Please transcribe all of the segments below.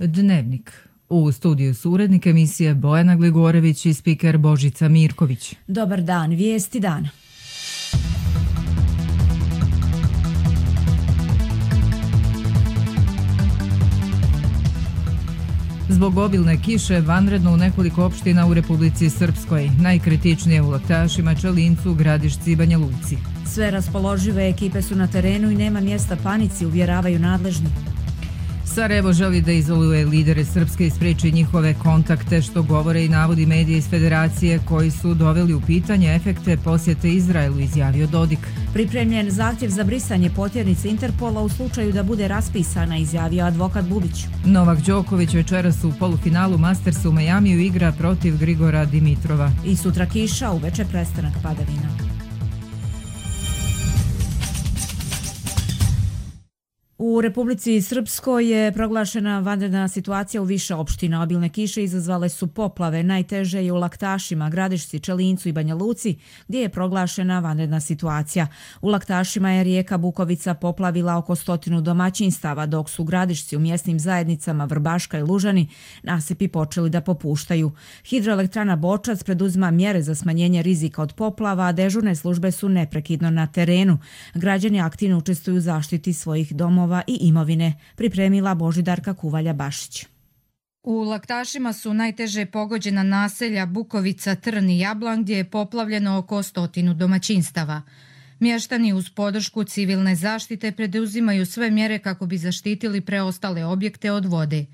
Dnevnik. U studiju su urednik emisije Bojana Gligorević i spiker Božica Mirković. Dobar dan, vijesti dana. Zbog obilne kiše vanredno u nekoliko opština u Republici Srpskoj, najkritičnije u Laktašima, Čelincu, Gradišci i Banja Luci. Sve raspoložive ekipe su na terenu i nema mjesta panici, uvjeravaju nadležni. Sarajevo želi da izoluje lidere Srpske i spriječi njihove kontakte, što govore i navodi medije iz Federacije koji su doveli u pitanje efekte posjete Izraelu, izjavio Dodik. Pripremljen zahtjev za brisanje potjernice Interpola u slučaju da bude raspisana, izjavio advokat Bubić. Novak Đoković večeras u polufinalu Mastersa u Majamiju igra protiv Grigora Dimitrova. I sutra kiša, uveče prestanak padavina. U Republici Srpskoj je proglašena vanredna situacija u više opština. Obilne kiše izazvale su poplave, najteže je u Laktašima, Gradišci, Čelincu i Banja Luci, gdje je proglašena vanredna situacija. U Laktašima je rijeka Bukovica poplavila oko 100 domaćinstava, dok su Gradišci u mjesnim zajednicama Vrbaška i Lužani nasipi počeli da popuštaju. Hidroelektrana Bočac preduzima mjere za smanjenje rizika od poplava, a dežurne službe su neprekidno na terenu. Građani aktivno učestvuju u zaštiti svojih domova i imovine, pripremila Božidarka Kuvalja-Bašić. U Laktašima su najteže pogođena naselja Bukovica, Trn i Jablan, gdje je poplavljeno oko 100 domaćinstava. Mještani uz podršku civilne zaštite preduzimaju sve mjere kako bi zaštitili preostale objekte od vode.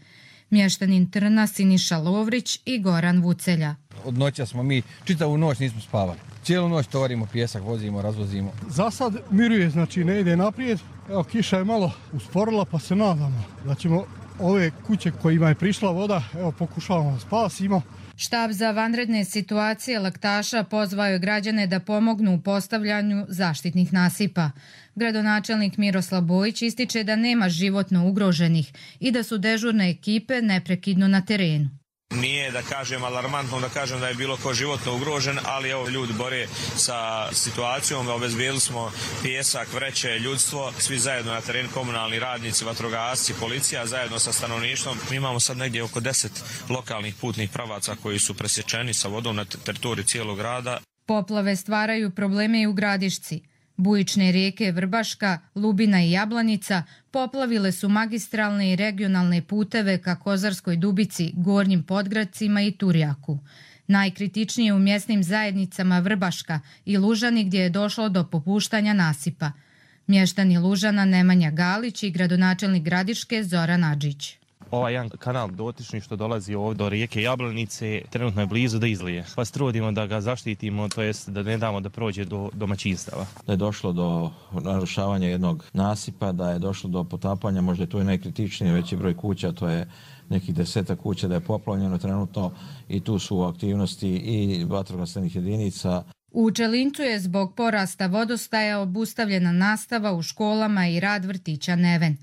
Mještanin Trna Siniša Lovrić i Goran Vucelja. Od noća smo mi, čitavu noć nismo spavali. Cijelu noć tovarimo pijesak, vozimo, razvozimo. Za sad miruje, znači ne ide naprijed. Evo, kiša je malo usporila, pa se nadamo da ćemo ove kuće kojima je prišla voda, evo, pokušavamo da spasimo. Štab za vanredne situacije Laktaša pozvao je građane da pomognu u postavljanju zaštitnih nasipa. Gradonačelnik Miroslav Bojić ističe da nema životno ugroženih i da su dežurne ekipe neprekidno na terenu. Nije da kažem alarmantno, da kažem da je bilo ko životno ugrožen, ali evo ljudi bore sa situacijom, obezbijedili smo pijesak, vreće, ljudstvo, svi zajedno na terenu, komunalni radnici, vatrogasci, policija, zajedno sa stanovništvom. Mi imamo sad negdje oko 10 lokalnih putnih pravaca koji su presječeni sa vodom na teritoriju cijelog grada. Poplave stvaraju probleme i u Gradišci. Bujične rijeke Vrbaška, Lubina i Jablanica poplavile su magistralne i regionalne puteve ka Kozarskoj Dubici, Gornjim Podgradcima i Turjaku. Najkritičnije u mjesnim zajednicama Vrbaška i Lužani, gdje je došlo do popuštanja nasipa. Mještani Lužana Nemanja Galić i gradonačelnik Gradiške Zoran Adžić. Ovaj jedan kanal dotični što dolazi ovdje do rijeke Jablanice trenutno je blizu da izlije. Pa se trudimo da ga zaštitimo, to jest da ne damo da prođe do domaćinstava. Da je došlo do narušavanja jednog nasipa, da je došlo do potapanja, možda je to i najkritičnije, veći broj kuća, to je nekih 10 kuća da je poplavljeno trenutno i tu su aktivnosti i vatrogasnih jedinica. U Čelincu je zbog porasta vodostaja obustavljena nastava u školama i rad vrtića Neven.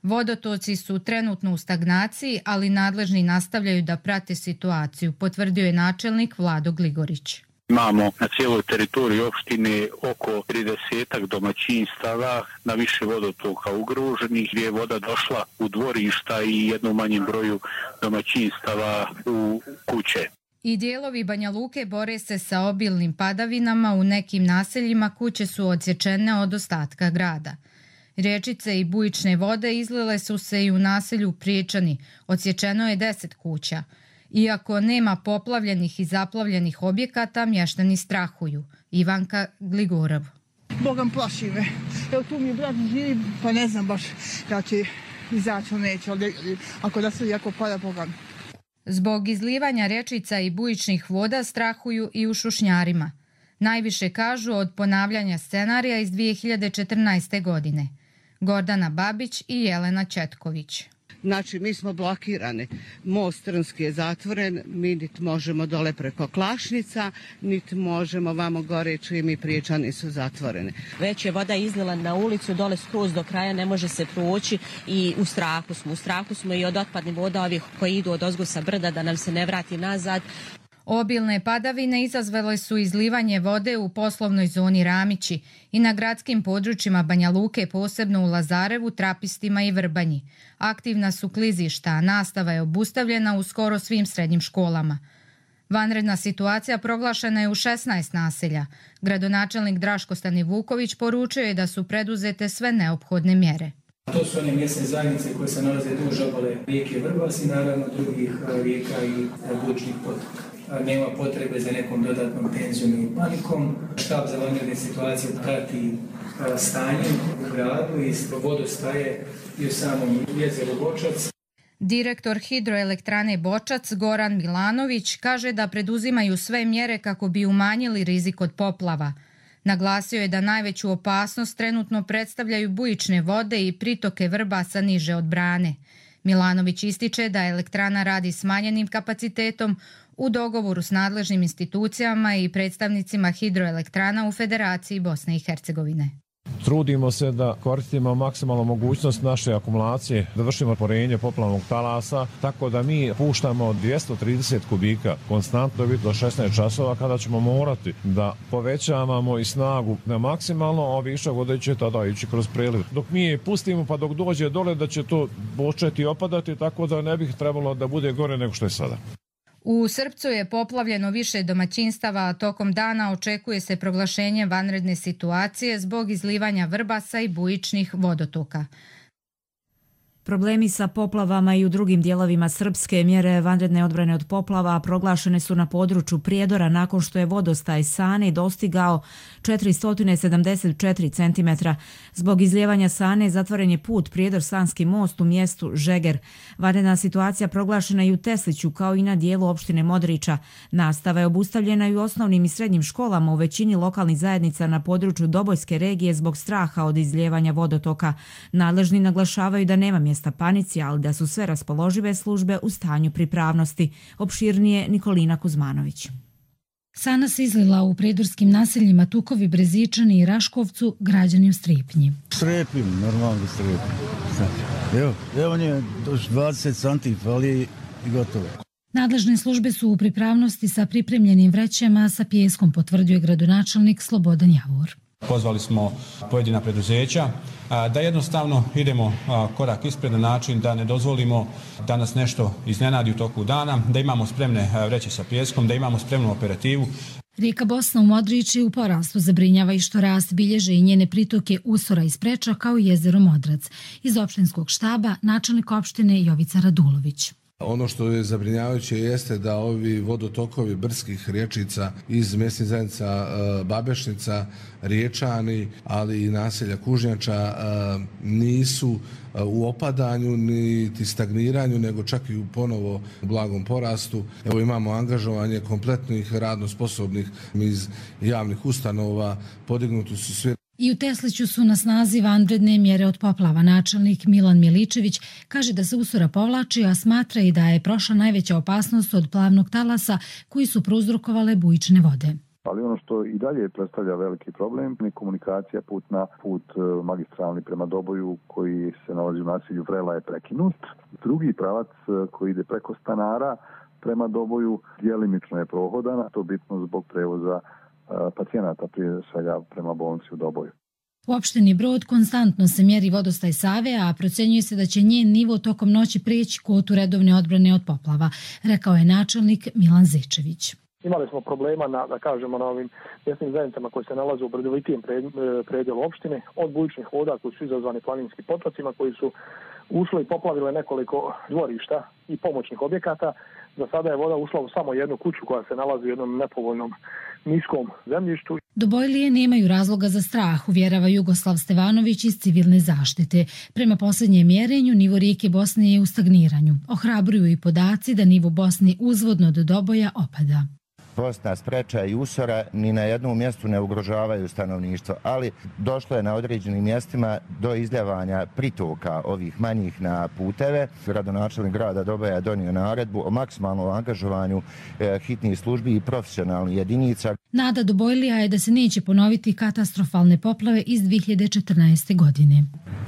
Vodotoci su trenutno u stagnaciji, ali nadležni nastavljaju da prate situaciju, potvrdio je načelnik Vlado Gligorić. Imamo na cijeloj teritoriji opštine oko 30 domaćinstava na više vodotoka ugroženih, gdje je voda došla u dvorišta i jednom manjem broju domaćinstava u kuće. I dijelovi Banja Luke bore se sa obilnim padavinama, u nekim naseljima kuće su odsječene od ostatka grada. Riječice i bujične vode izlile su se i u naselju Priječani, odsječeno je 10 kuća. Iako nema poplavljenih i zaplavljenih objekata, mještani strahuju. Ivanka Gligorov. Bogam plaši me. Evo tu mi je brat živi, pa ne znam baš kada će izaći ili neće, ako da se jako pada Bogam. Zbog izlivanja rječica i bujičnih voda strahuju i u Šušnjarima. Najviše kažu od ponavljanja scenarija iz 2014. godine. Gordana Babić i Jelena Četković. Znači, mi smo blokirani. Most Trnski je zatvoren, mi niti možemo dole preko Klašnica, niti možemo vamo gore, čiji mi Priječani su zatvoreni. Već je voda izlila na ulicu, dole skroz do kraja, ne može se proći i u strahu smo. U strahu smo i od otpadnih voda ovih koji idu od ozgo sa brda da nam se ne vrati nazad. Obilne padavine izazvale su izlivanje vode u poslovnoj zoni Ramići i na gradskim područjima Banja Luke, posebno u Lazarevu, Trapistima i Vrbanji. Aktivna su klizišta, a nastava je obustavljena u skoro svim srednjim školama. Vanredna situacija proglašena je u 16 naselja. Gradonačelnik Draško Stanivuković poručio je da su preduzete sve neophodne mjere. To su one mjesne zajednice koje se nalaze duž obale rijeke Vrbas i naravno drugih rijeka i bujičnih potoka. Nema potrebe za nekom dodatnom tenzijom i panikom. Štab za vanredne situacije prati stanje u gradu i vodostaje i u samom jezeru Bočac. Direktor hidroelektrane Bočac Goran Milanović kaže da preduzimaju sve mjere kako bi umanjili rizik od poplava. Naglasio je da najveću opasnost trenutno predstavljaju bujične vode i pritoke Vrbasa niže od brane. Milanović ističe da elektrana radi smanjenim kapacitetom u dogovoru s nadležnim institucijama i predstavnicima hidroelektrana u Federaciji Bosne i Hercegovine. Trudimo se da koristimo maksimalnu mogućnost naše akumulacije, da vršimo porenje poplavnog talasa, tako da mi puštamo 230 kubika konstantno do 16 časova kada ćemo morati da povećavamo i snagu na maksimalno, a višak vode će tada ići kroz preliv. Dok mi je pustimo pa dok dođe dole da će to početi opadati, tako da ne bih trebalo da bude gore nego što je sada. U Srpcu je poplavljeno više domaćinstava, a tokom dana očekuje se proglašenje vanredne situacije zbog izlivanja Vrbasa i bujičnih vodotoka. Problemi sa poplavama i u drugim dijelovima Srpske. Mjere vanredne odbrane od poplava proglašene su na području Prijedora nakon što je vodostaj Sane dostigao 474 cm. Zbog izlijevanja Sane zatvoren je put Prijedor-Sanski most u mjestu Žeger. Vanredna situacija proglašena i u Tesliću kao i na dijelu opštine Modrića. Nastava je obustavljena i u osnovnim i srednjim školama u većini lokalnih zajednica na području Dobojske regije zbog straha od izlijevanja vodotoka. Nadležni naglašavaju da nema mjesta panici, ali da su sve raspoložive službe u stanju pripravnosti. Opširnije Nikolina Kuzmanović. Sana se izlila u prijedorskim naseljima Tukovi, Brezičani i Raškovcu, građani u Stripnji. Strepim, normalno strepim. Evo on je 20 santi, fali i gotovo. Nadležne službe su u pripravnosti sa pripremljenim vrećama sa pijeskom, potvrdio je gradonačelnik Slobodan Javor. Pozvali smo pojedina preduzeća da jednostavno idemo korak ispred na način da ne dozvolimo da nas nešto iznenadi u toku dana, da imamo spremne vreće sa pijeskom, da imamo spremnu operativu. Rijeka Bosna u Modrići u porastu, zabrinjava i što rast bilježe i njene pritoke Usora i Spreča kao i jezero Modrac. Iz opštinskog štaba načelnik opštine Jovica Radulović. Ono što je zabrinjavajuće jeste da ovi vodotokovi brdskih riječica iz mjesnih zajednica Babešnica, Riječani, ali i naselja Kužnjača nisu u opadanju niti stagniranju, nego čak i u ponovo blagom porastu. Evo imamo angažovanje kompletnih radno sposobnih iz javnih ustanova, podignuti su svi. I u Tesliću su na snazi vanredne mjere od poplava. Načelnik Milan Miličević kaže da se Usora povlači, a smatra i da je prošla najveća opasnost od plavnog talasa koji su prouzrokovale bujične vode. Ali ono što i dalje predstavlja veliki problem je komunikacija put magistralni prema Doboju koji se nalazi u naselju Vrela je prekinut. Drugi pravac koji ide preko Stanara prema Doboju djelimično je prohodan, a to bitno zbog prevoza pacijenata prije svega prema bolnici u Doboju. U opštini Brod konstantno se mjeri vodostaj Save, a procenjuje se da će njen nivo tokom noći prijeći kvotu redovne odbrane od poplava, rekao je načelnik Milan Zečević. Imali smo problema na ovim mjesnim zajednicama koji se nalaze u brdovitijem predjelu opštine, od bujičnih voda koji su izazvani planinskim potocima, koji su ušle i poplavile nekoliko dvorišta i pomoćnih objekata. Za sada je voda ušla u samo jednu kuću koja se nalazi u jednom nepovoljnom niskom zemljištu. Dobojlije nemaju razloga za strah, uvjerava Jugoslav Stevanović iz civilne zaštite. Prema posljednjem mjerenju, nivo rijeke Bosne je u stagniranju. Ohrabruju i podaci da nivo Bosne uzvodno do Doboja opada. Bosna, Spreča i Usora ni na jednom mjestu ne ugrožavaju stanovništvo, ali došlo je na određenim mjestima do izljevanja pritoka ovih manjih na puteve. Gradonačelnik grada Doboja je donio naredbu o maksimalnom angažovanju hitnih službi i profesionalnih jedinica. Nada Dobojlija je da se neće ponoviti katastrofalne poplave iz 2014. godine.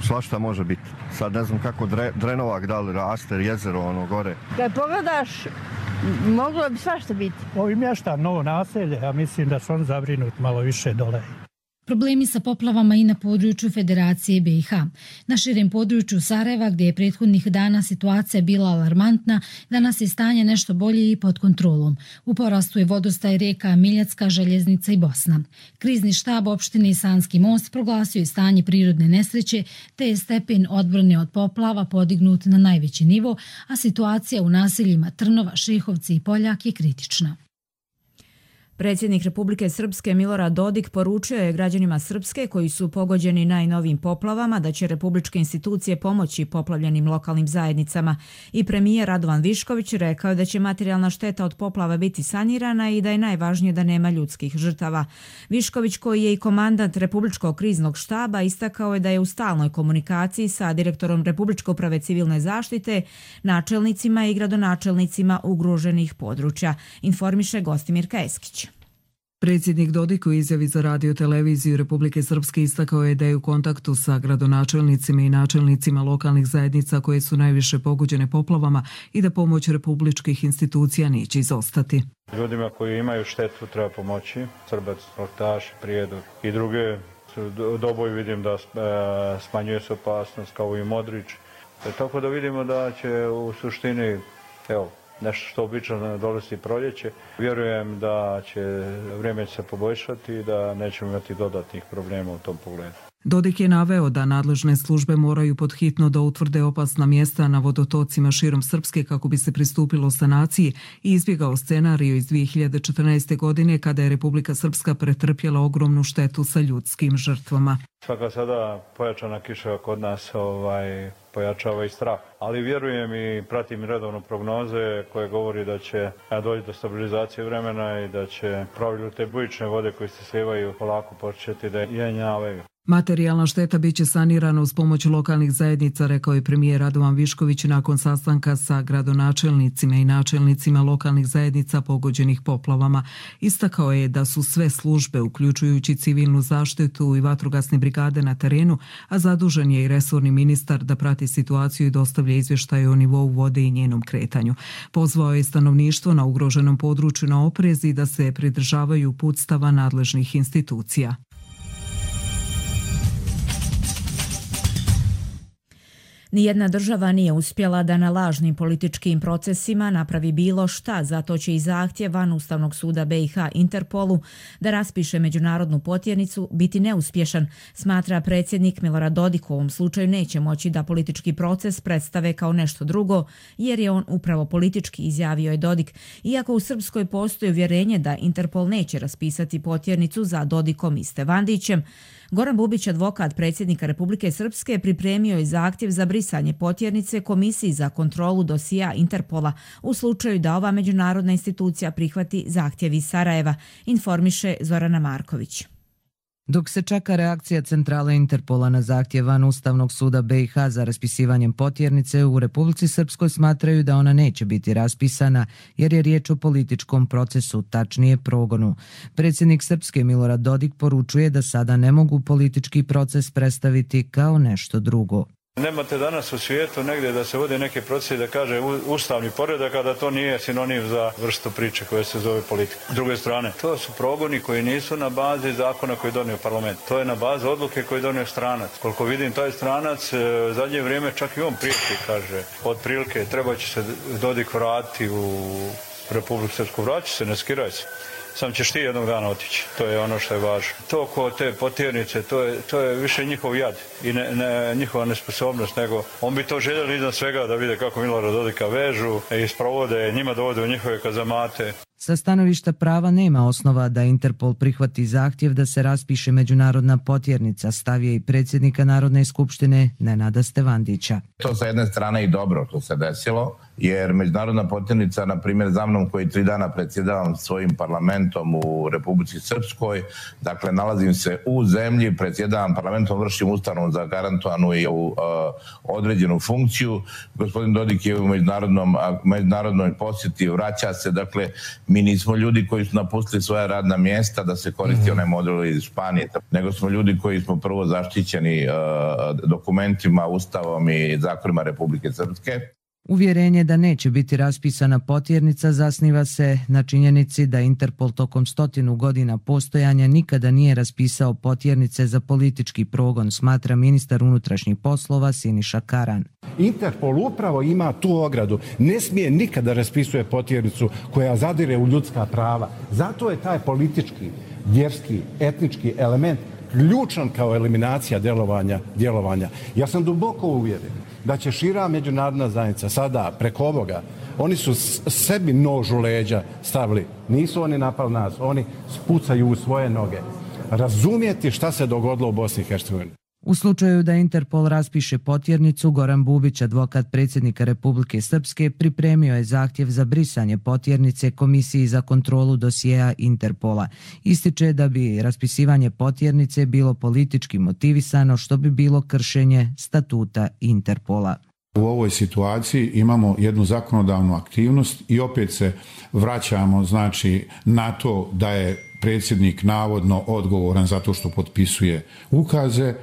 Svašta može biti. Sad ne znam kako Drenovak da li raste, jezero ono gore. Kad pogledaš Moglo bi svašta biti. Ovi mještan, novo naselje, ja mislim da su oni zabrinuti malo više dole. Problemi sa poplavama i na području Federacije BiH. Na širem području Sarajeva, gdje je prethodnih dana situacija bila alarmantna, danas je stanje nešto bolje i pod kontrolom. U porastu je vodostaj rijeka Miljacka, Željeznica i Bosna. Krizni štab opštine Sanski most proglasio je stanje prirodne nesreće, te je stepen odbrane od poplava podignut na najveći nivo, a situacija u naseljima Trnova, Šehovci i Poljak je kritična. Predsjednik Republike Srpske Milorad Dodik poručio je građanima Srpske koji su pogođeni najnovijim poplavama da će republičke institucije pomoći poplavljenim lokalnim zajednicama i premijer Radovan Višković rekao da će materijalna šteta od poplava biti sanirana i da je najvažnije da nema ljudskih žrtava. Višković, koji je i komandant Republičkog kriznog štaba, istakao je da je u stalnoj komunikaciji sa direktorom Republičke uprave civilne zaštite, načelnicima i gradonačelnicima ugroženih područja, informiše Gostimir Keskić. Predsjednik Dodik u izjavi za radio televiziju Republike Srpske istakao je da je u kontaktu sa gradonačelnicima i načelnicima lokalnih zajednica koje su najviše pogođene poplavama i da pomoć republičkih institucija neće izostati. Ljudima koji imaju štetu treba pomoći, Srbac, Laktaš, Prijedor i druge. Doboj vidim da smanjuje se opasnost kao i Modrić. Tako da vidimo da će u suštini, nešto što obično dolazi proljeće. Vjerujem da će vrijeme se poboljšati i da nećemo imati dodatnih problema u tom pogledu. Dodik je naveo da nadležne službe moraju podhitno da utvrde opasna mjesta na vodotocima širom Srpske kako bi se pristupilo sanaciji i izbjegao scenariju iz 2014. godine kada je Republika Srpska pretrpjela ogromnu štetu sa ljudskim žrtvama. Svaka sada pojačana kiša kod nas pojačava i strah. Ali vjerujem i pratim redovno prognoze koje govori da će doći do stabilizacije vremena i da će pravilu te bujične vode koje se slijevaju polako početi da jenjavaju. Materijalna šteta biće sanirana uz pomoć lokalnih zajednica, rekao je premijer Radovan Višković nakon sastanka sa gradonačelnicima i načelnicima lokalnih zajednica pogođenih poplavama. Istakao je da su sve službe, uključujući civilnu zaštitu i vatrogasne brigade na terenu, a zadužen je i resorni ministar da prati situaciju i dostavlja izvještaje o nivou vode i njenom kretanju. Pozvao je stanovništvo na ugroženom području na oprez i da se pridržavaju uputstava nadležnih institucija. Nijedna država nije uspjela da na lažnim političkim procesima napravi bilo šta, zato će i zahtjev van Ustavnog suda BiH Interpolu da raspiše međunarodnu potjernicu biti neuspješan, smatra predsjednik Milorad Dodik. U ovom slučaju neće moći da politički proces predstave kao nešto drugo, jer je on upravo politički, izjavio je Dodik. Iako u Srpskoj postoji uvjerenje da Interpol neće raspisati potjernicu za Dodikom i Stevandićem, Goran Bubić, advokat predsjednika Republike Srpske, pripremio je zahtjev za brisanje potjernice Komisiji za kontrolu dosija Interpola u slučaju da ova međunarodna institucija prihvati zahtjev iz Sarajeva, informiše Zorana Marković. Dok se čeka reakcija centrale Interpola na zahtjev van Ustavnog suda BiH za raspisivanjem potjernice, u Republici Srpskoj smatraju da ona neće biti raspisana jer je riječ o političkom procesu, tačnije progonu. Predsjednik Srpske Milorad Dodik poručuje da sada ne mogu politički proces predstaviti kao nešto drugo. Nemate danas u svijetu negdje da se vode neke procese da kaže ustavni poredak, a da to nije sinonim za vrstu priče koja se zove politika. S druge strane, to su progoni koji nisu na bazi zakona koji je donio parlament. To je na bazi odluke koji je donio stranac. Koliko vidim, taj stranac zadnje vrijeme čak i on priječi, kaže, otprilike treba će se Dodik vratiti u Republiku Srpsku. Vraći se, ne skiraj se. Sam ćeš ti jednog dana otići. To je ono što je važno. To ko te potjernice, to je više njihov jad i njihova nesposobnost, nego on bi to željeli iznad svega da vide kako Milorada Dodika vežu i sprovode, njima dovode u njihove kazamate. Sa stanovišta prava nema osnova da Interpol prihvati zahtjev da se raspiše međunarodna potjernica, stavio i predsjednika Narodne skupštine Nenada Stevandića. To sa jedne strane i dobro to se desilo, jer međunarodna potjernica, na primjer za mnom koji 3 dana predsjedavam svojim parlamentom u Republici Srpskoj, dakle nalazim se u zemlji, predsjedavam parlamentom, vršim ustavom za garantovanu i određenu funkciju. Gospodin Dodik je u međunarodnoj posjeti, vraća se, dakle mi nismo ljudi koji su napustili svoja radna mjesta da se koristi onaj model iz Španije, nego smo ljudi koji smo prvo zaštićeni dokumentima, ustavom i zakonima Republike Srpske. Uvjerenje da neće biti raspisana potjernica zasniva se na činjenici da Interpol tokom 100 godina postojanja nikada nije raspisao potjernice za politički progon, smatra ministar unutrašnjih poslova Siniša Karan. Interpol upravo ima tu ogradu. Ne smije nikada raspisuje potjernicu koja zadire u ljudska prava. Zato je taj politički, vjerski, etnički element ključan kao eliminacija djelovanja. Ja sam duboko uvjeren da će šira međunarodna zajednica sada preko ovoga, oni su sebi nož u leđa stavili. Nisu oni napali nas, oni spucaju u svoje noge. Razumjeti šta se dogodilo u Bosni i Hercegovini. U slučaju da Interpol raspiše potjernicu, Goran Bubić, advokat predsjednika Republike Srpske, pripremio je zahtjev za brisanje potjernice Komisiji za kontrolu dosjea Interpola. Ističe da bi raspisivanje potjernice bilo politički motivisano, što bi bilo kršenje statuta Interpola. U ovoj situaciji imamo jednu zakonodavnu aktivnost i opet se vraćamo na to da je predsjednik navodno odgovoran zato što potpisuje ukaze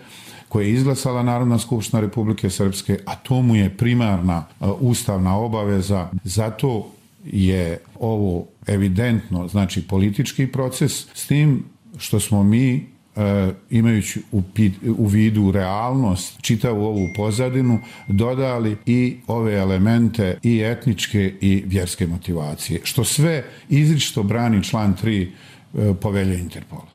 koje je izglasala Narodna skupština Republike Srpske, a to mu je primarna ustavna obaveza. Zato je ovo evidentno, politički proces, s tim što smo mi, imajući u vidu realnost, čitavu ovu pozadinu, dodali i ove elemente i etničke i vjerske motivacije, što sve izričito brani član 3 povelje Interpola.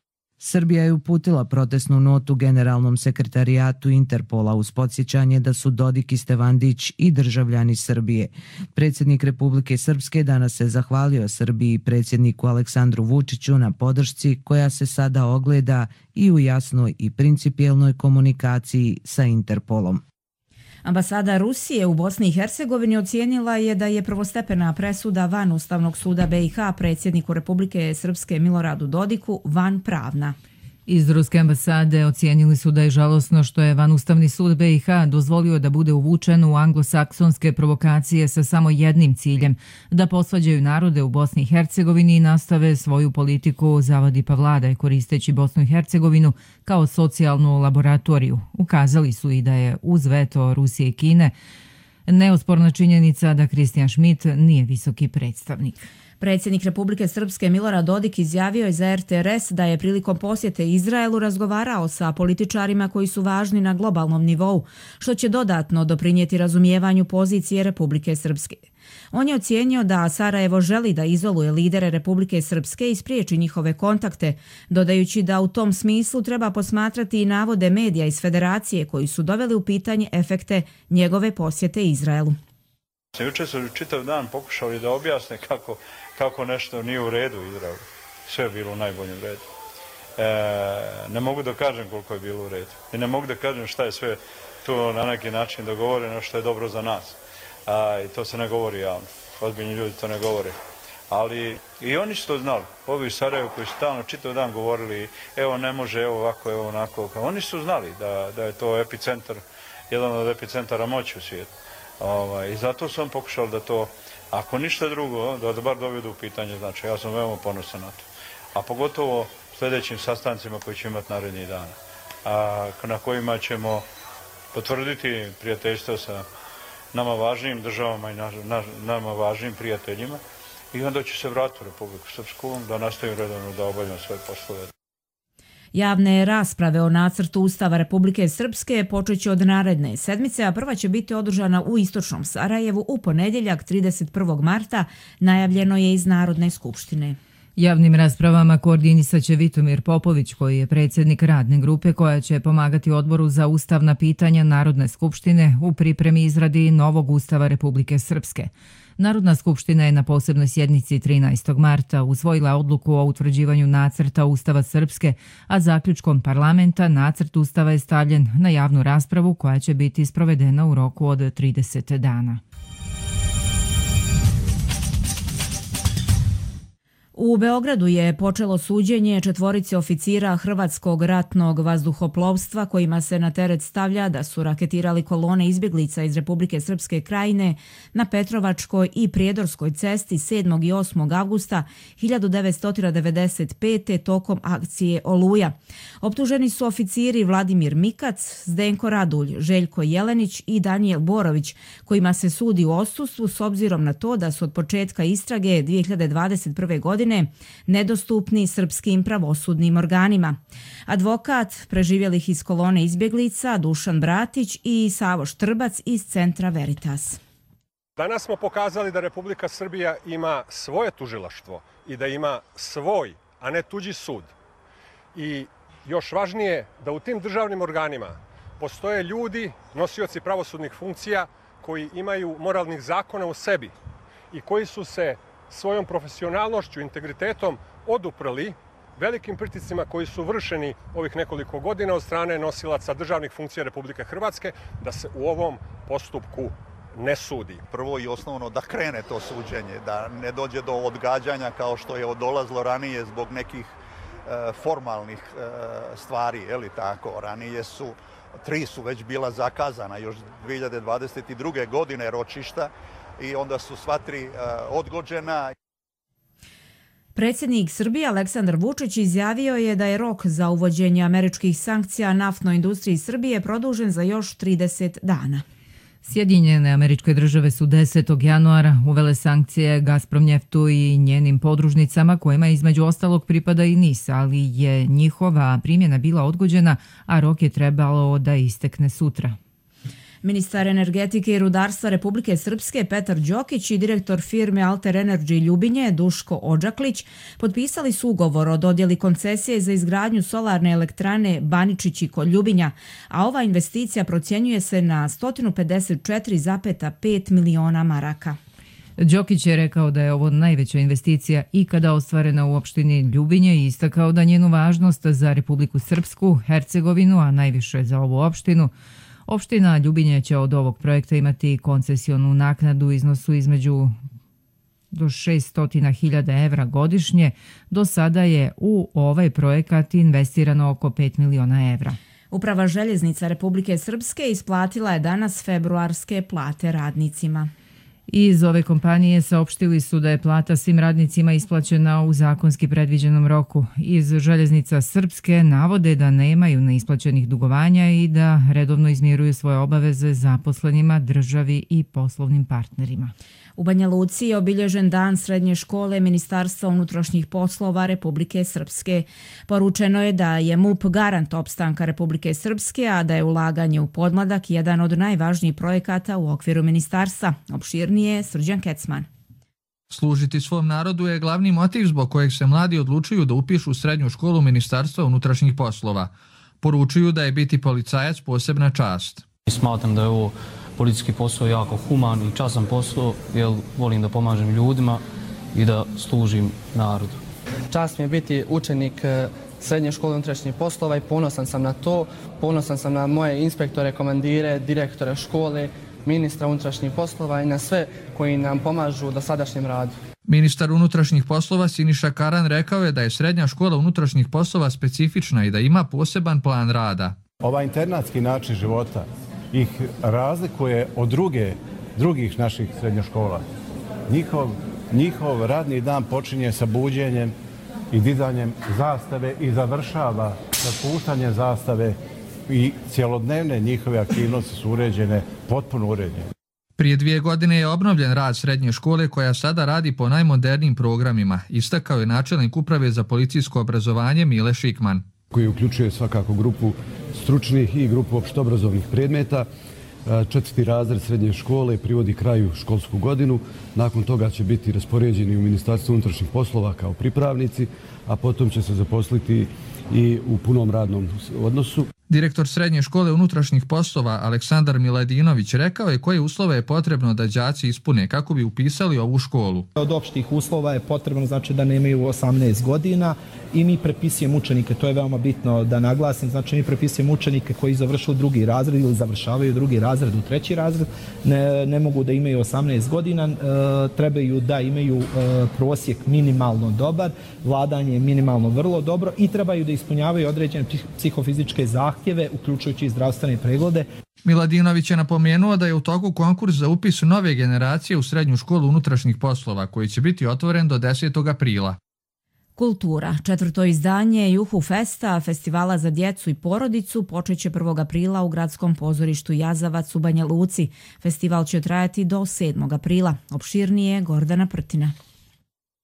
Srbija je uputila protestnu notu generalnom sekretarijatu Interpola uz podsjećanje da su Dodik i Stevandić i državljani Srbije. Predsjednik Republike Srpske danas se zahvalio Srbiji i predsjedniku Aleksandru Vučiću na podršci koja se sada ogleda i u jasnoj i principijelnoj komunikaciji sa Interpolom. Ambasada Rusije u Bosni i Hercegovini ocijenila je da je prvostepena presuda van Ustavnog suda BiH predsjedniku Republike Srpske Miloradu Dodiku van pravna. Iz Ruske ambasade ocijenili su da je žalosno što je vanustavni sud BiH dozvolio da bude uvučen u anglosaksonske provokacije sa samo jednim ciljem, da posvađaju narode u Bosni i Hercegovini i nastave svoju politiku zavadi pa vladaj koristeći Bosnu i Hercegovinu kao socijalnu laboratoriju. Ukazali su i da je uz veto Rusije i Kine neosporna činjenica da Kristijan Schmidt nije visoki predstavnik. Predsjednik Republike Srpske Milorad Dodik izjavio je za RTRS da je prilikom posjete Izraelu razgovarao sa političarima koji su važni na globalnom nivou, što će dodatno doprinijeti razumijevanju pozicije Republike Srpske. On je ocijenio da Sarajevo želi da izoluje lidere Republike Srpske i spriječi njihove kontakte, dodajući da u tom smislu treba posmatrati i navode medija iz Federacije koji su doveli u pitanje efekte njegove posjete Izraelu. Jučer su čitav dan pokušali da objasne kako nešto nije u redu u Izraelu. Sve je bilo u najboljem redu. Ne mogu da kažem koliko je bilo u redu. I ne mogu da kažem šta je sve tu na neki način dogovoreno što je dobro za nas. I to se ne govori javno. Ozbiljni ljudi to ne govore. Ali i oni su to znali. Ovi u Sarajevu koji su stalno čitav dan govorili evo ne može, evo ovako, evo onako. Oni su znali da je to epicentar, jedan od epicentara moći u svijetu. I zato sam pokušao da to, ako ništa drugo, da bar dovedu u pitanje. Znači, ja sam veoma ponosan na to. A pogotovo sljedećim sastancima koji će imati narednih dana. Na kojima ćemo potvrditi prijateljstvo sa nama važnim državama i nama važnim prijateljima. I onda će se vratiti u Republiku Srpsku da nastavim redovno da obavljam svoje poslove. Javne rasprave o nacrtu Ustava Republike Srpske počeće od naredne sedmice, a prva će biti održana u istočnom Sarajevu u ponedjeljak 31. marta, najavljeno je iz Narodne skupštine. Javnim raspravama koordinisat će Vitomir Popović, koji je predsjednik radne grupe koja će pomagati Odboru za ustavna pitanja Narodne skupštine u pripremi izradi novog Ustava Republike Srpske. Narodna skupština je na posebnoj sjednici 13. marta usvojila odluku o utvrđivanju nacrta Ustava Srpske, a zaključkom parlamenta nacrt Ustava je stavljen na javnu raspravu koja će biti sprovedena u roku od 30 U Beogradu je počelo suđenje četvorici oficira Hrvatskog ratnog vazduhoplovstva kojima se na teret stavlja da su raketirali kolone izbjeglica iz Republike Srpske Krajine na Petrovačkoj i Prijedorskoj cesti 7. i 8. avgusta 1995. tokom akcije Oluja. Optuženi su oficiri Vladimir Mikac, Zdenko Radulj, Željko Jelenić i Danijel Borović, kojima se sudi u odsustvu s obzirom na to da su od početka istrage 2021. godine nedostupni srpskim pravosudnim organima. Advokat preživjelih iz kolone izbjeglica Dušan Bratić i Savo Štrbac iz Centra Veritas. Danas smo pokazali da Republika Srbija ima svoje tužilaštvo i da ima svoj, a ne tuđi sud. I još važnije da u tim državnim organima postoje ljudi, nosioci pravosudnih funkcija koji imaju moralnih zakona u sebi i koji su se svojom profesionalnošću, integritetom oduprli velikim pritiscima koji su vršeni ovih nekoliko godina od strane nosilaca državnih funkcija Republike Hrvatske da se u ovom postupku ne sudi. Prvo i osnovno da krene to suđenje, da ne dođe do odgađanja kao što je dolazilo ranije zbog nekih formalnih stvari, je li tako? Ranije su 3 su već bila zakazana još 2022. godine ročišta i onda su sva 3 odgođena. Predsjednik Srbije Aleksandar Vučić izjavio je da je rok za uvođenje američkih sankcija naftnoj industriji Srbije produžen za još 30 dana. Sjedinjene Američke Države su 10. januara uvele sankcije Gazpromnjeftu i njenim podružnicama kojima između ostalog pripada i NIS, ali je njihova primjena bila odgođena, a rok je trebalo da istekne sutra. Ministar energetike i rudarstva Republike Srpske Petar Đokić i direktor firme Alter Energy Ljubinje Duško Odžaklić potpisali su ugovor o dodjeli koncesije za izgradnju solarne elektrane Baničići kod Ljubinja, a ova investicija procjenjuje se na 154,5 miliona maraka. Đokić je rekao da je ovo najveća investicija ikada ostvarena u opštini Ljubinje i istakao da njenu važnost za Republiku Srpsku, Hercegovinu, a najviše za ovu opštinu. Opština Ljubinje će od ovog projekta imati koncesionu naknadu u iznosu između do 600.000 evra godišnje. Do sada je u ovaj projekat investirano oko 5 miliona evra. Uprava željeznica Republike Srpske isplatila je danas februarske plate radnicima. Iz ove kompanije saopštili su da je plata svim radnicima isplaćena u zakonski predviđenom roku. Iz Željeznica Srpske navode da nemaju neisplaćenih dugovanja i da redovno izmiruju svoje obaveze zaposlenima, državi i poslovnim partnerima. U Banja Luci je obilježen dan srednje škole Ministarstva unutrašnjih poslova Republike Srpske. Poručeno je da je MUP garant opstanka Republike Srpske, a da je ulaganje u podmladak jedan od najvažnijih projekata u okviru ministarstva. Opširnije Srđan Kecman. Služiti svom narodu je glavni motiv zbog kojeg se mladi odlučuju da upišu srednju školu Ministarstva unutrašnjih poslova. Poručuju da je biti policajac posebna čast. Smatram da je ovo policijski posao jako human i časan posao, jer volim da pomažem ljudima i da služim narodu. Čast mi je biti učenik srednje škole unutrašnjih poslova i ponosan sam na to. Ponosan sam na moje inspektore, komandire, direktore škole, ministra unutrašnjih poslova i na sve koji nam pomažu u dosadašnjem radu. Ministar unutrašnjih poslova Siniša Karan rekao je da je srednja škola unutrašnjih poslova specifična i da ima poseban plan rada. Ovaj internatski način života ih razlikuje od drugih naših srednjoškola. Njihov radni dan počinje sa buđenjem i dizanjem zastave i završava sa spuštanjem zastave i cjelodnevne njihove aktivnosti su uređene, potpuno uređene. Prije 2 godine je obnovljen rad srednje škole koja sada radi po najmodernijim programima, istakao je načelnik uprave za policijsko obrazovanje Mile Šikman. Koji uključuje svakako grupu stručnih i grupu opštobrazovnih predmeta. 4. razred srednje škole privodi kraju školsku godinu. Nakon toga će biti raspoređeni u Ministarstvu unutrašnjih poslova kao pripravnici, a potom će se zaposliti i u punom radnom odnosu. Direktor Srednje škole unutrašnjih poslova Aleksandar Miladinović rekao je koje uslove je potrebno da đaci ispune kako bi upisali ovu školu. Od opštih uslova je potrebno znači da nemaju 18 godina i mi prepisujemo učenike, to je veoma bitno da naglasim, znači mi prepisujemo učenike koji završuju drugi razred ili završavaju drugi razred u treći razred, ne mogu da imaju 18 godina, trebaju da imaju prosjek minimalno dobar, vladanje minimalno vrlo dobro i trebaju da ispunjavaju određene psihofizičke zahtjeve, uključujući i zdravstvene preglede. Miladinović je napomenuo da je u toku konkurs za upis nove generacije u Srednju školu unutrašnjih poslova koji će biti otvoren do 10. aprila. Kultura. 4. izdanje Juhu Festa, festivala za djecu i porodicu, počeće 1. aprila u gradskom pozorištu Jazavac u Banja Luci. Festival će trajati do 7. aprila. Opširnije Gordana Prtina.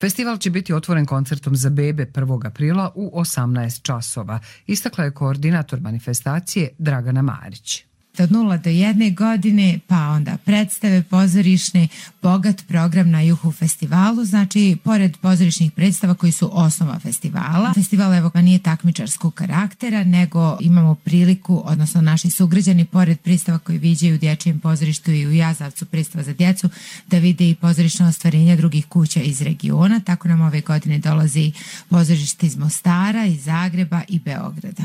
Festival će biti otvoren koncertom za bebe 1. aprila u 18 časova, istakla je koordinator manifestacije Dragana Marić. Od 0 do 1 godine, pa onda predstave pozorišne, bogat program na Juhu festivalu, znači pored pozorišnih predstava koji su osnova festivala. Festival evo nije takmičarskog karaktera, nego imamo priliku, odnosno naši sugrađani, pored predstava koji viđaju u dječjem pozorištu i u Jazavcu predstava za djecu, da vide i pozorišno ostvarenja drugih kuća iz regiona. Tako nam ove godine dolazi pozorište iz Mostara, iz Zagreba i Beograda.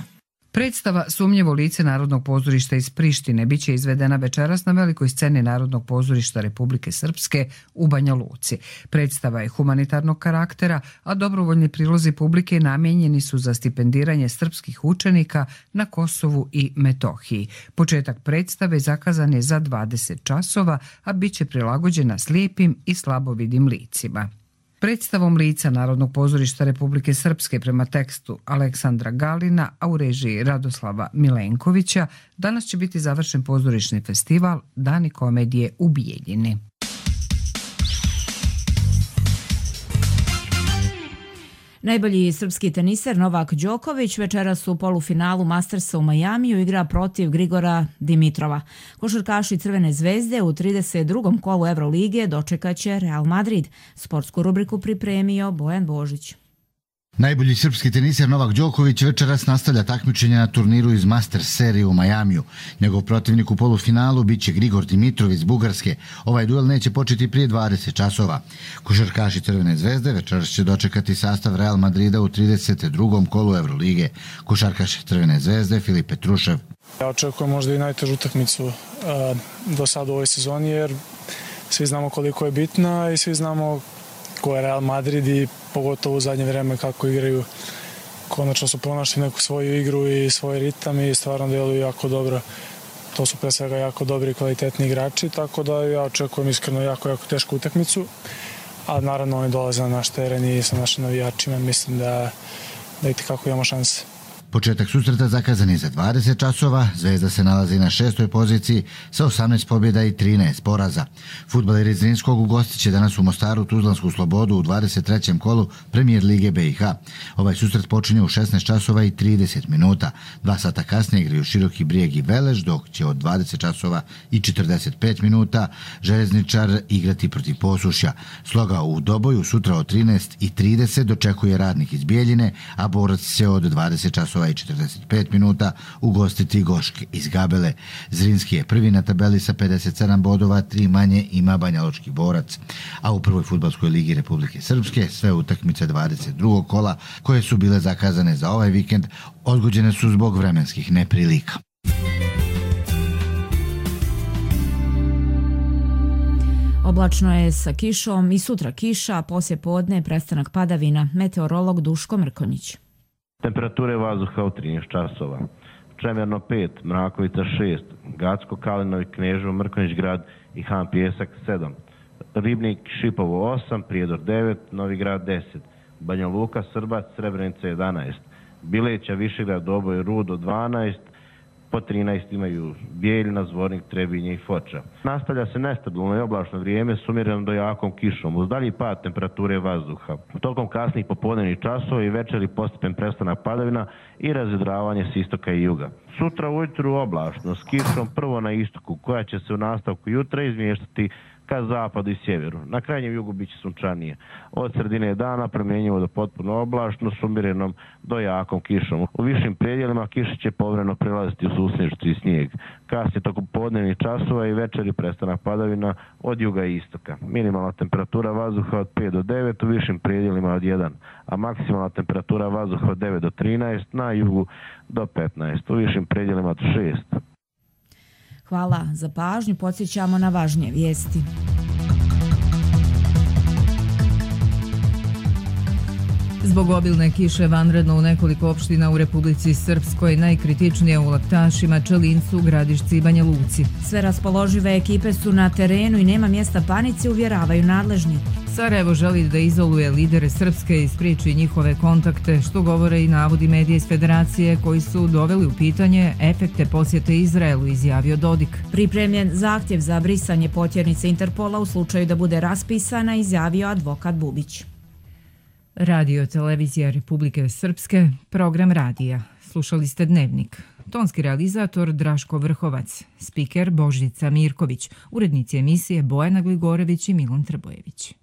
Predstava Sumnjivo lice Narodnog pozorišta iz Prištine biće izvedena večeras na velikoj sceni Narodnog pozorišta Republike Srpske u Banja Luci. Predstava je humanitarnog karaktera, a dobrovoljni prilozi publike namijenjeni su za stipendiranje srpskih učenika na Kosovu i Metohiji. Početak predstave zakazan je za 20 časova, a bit će prilagođena slijepim i slabovidim licima. Predstavom lica Narodnog pozorišta Republike Srpske prema tekstu Aleksandra Galina, a u režiji Radoslava Milenkovića, danas će biti završen pozorišni festival Dani komedije u Bijeljini. Najbolji srpski teniser Novak Đoković večeras u polufinalu Mastersa u Majamiju igra protiv Grigora Dimitrova. Košarkaši Crvene zvezde u 32. kolu Evrolige dočekaće Real Madrid. Sportsku rubriku pripremio Bojan Božić. Najbolji srpski teniser Novak Đoković večeras nastavlja takmičenje na turniru iz Masters serije u Majamiju. Njegov protivnik u polufinalu biće Grigor Dimitrov iz Bugarske. Ovaj duel neće početi prije 20 časova. Košarkaši Crvene zvezde večeras će dočekati sastav Real Madrida u 32. kolu Evrolige. Košarkaš Crvene zvezde Filip Petrušev. Ja očekujem možda i najtežu utakmicu do sada u ovoj sezoni, jer svi znamo koliko je bitna i svi znamo ko je Real Madrid i pogotovo u zadnje vreme kako igraju. Konačno su pronašli neku svoju igru i svoj ritam i stvarno deluju jako dobro. To su pre svega jako dobri i kvalitetni igrači, tako da ja očekujem iskreno jako tešku utakmicu. A naravno oni dolaze na naš teren i sa našim navijačima, mislim da i kako imamo šanse. Početak susreta zakazan je za 20 časova, Zvezda se nalazi na 6. poziciji sa 18 pobjeda i 13 poraza. Fudbaleri iz Zrinskog ugostit će danas u Mostaru Tuzlansku Slobodu u 23. kolu Premijer Lige BiH. Ovaj susret počinje u 16 časova i 30 minuta. 2 sata kasnije igraju Široki Brijeg i Velež, dok će od 20 časova i 45 minuta Železničar igrati protiv Posušja. Sloga u Doboju sutra od 13:30 dočekuje Radnik iz Bijeljine, a Borac će od 20 časova i 45 minuta ugostiti Gošk iz Gabele. Zrinski je prvi na tabeli sa 57 bodova, 3 manje ima Banjalučki Borac. A u prvoj fudbalskoj ligi Republike Srpske sve utakmice 22. kola koje su bile zakazane za ovaj vikend odgođene su zbog vremenskih neprilika. Oblačno je sa kišom i sutra kiša, poslije podne prestanak padavina. Meteorolog Duško Mrkonjić. Temperature vazduha u 13 časova. Čemerno 5, Mrakovica 6, Gacko, Kalinovi, Kneževo, Mrkonjić grad i Han Pijesak 7, Ribnik, Šipovo 8, Prijedor 9, Novi grad 10, Banja Luka, Srbac, Srebrenica 11, Bileća, Višegrad, Doboj, Rudo 12, po 13 imaju Bijeljina, Zvornik, Trebinje i Foča. Nastavlja se nestabilno i oblačno vrijeme s umjerenom do jakom kišom, uz dalji pad temperature vazduha. Tokom kasnih popodnevnih časova i večeri postepen prestanak padavina i razvedravanje s istoka i juga. Sutra ujutru oblačno s kišom prvo na istoku, koja će se u nastavku jutra izmještati ka zapadu i sjeveru. Na krajnjem jugu biće sunčanije. Od sredine dana promjenjivo do potpuno oblačno s umjerenom do jakom kišom. U višim predjelima kiša će povremeno prelaziti u susnježicu i snijeg. Kasnije tokom podnevnih časova i večeri prestanak padavina od juga i istoka. Minimalna temperatura vazduha od 5 do 9, u višim predjelima od 1, a maksimalna temperatura vazduha od 9 do 13, na jugu do 15, u višim predjelima od 6. Hvala za pažnju, podsjećamo na važnije vijesti. Zbog obilne kiše vanredno u nekoliko opština u Republici Srpskoj, najkritičnije u Laktašima, Čelincu, Gradišci i Banja Luci. Sve raspoložive ekipe su na terenu i nema mjesta panici, uvjeravaju nadležni. Sarajevo želi da izoluje lidere Srpske i spriječi njihove kontakte, što govore i navodi medije iz Federacije koji su doveli u pitanje efekte posjete Izraelu, izjavio Dodik. Pripremljen zahtjev za brisanje potjernice Interpola u slučaju da bude raspisana, izjavio advokat Bubić. Radio Televizija Republike Srpske, program radija. Slušali ste Dnevnik. Tonski realizator Draško Vrhovac, spiker Božica Mirković, urednici emisije Bojana Gligorević i Milan Trbojević.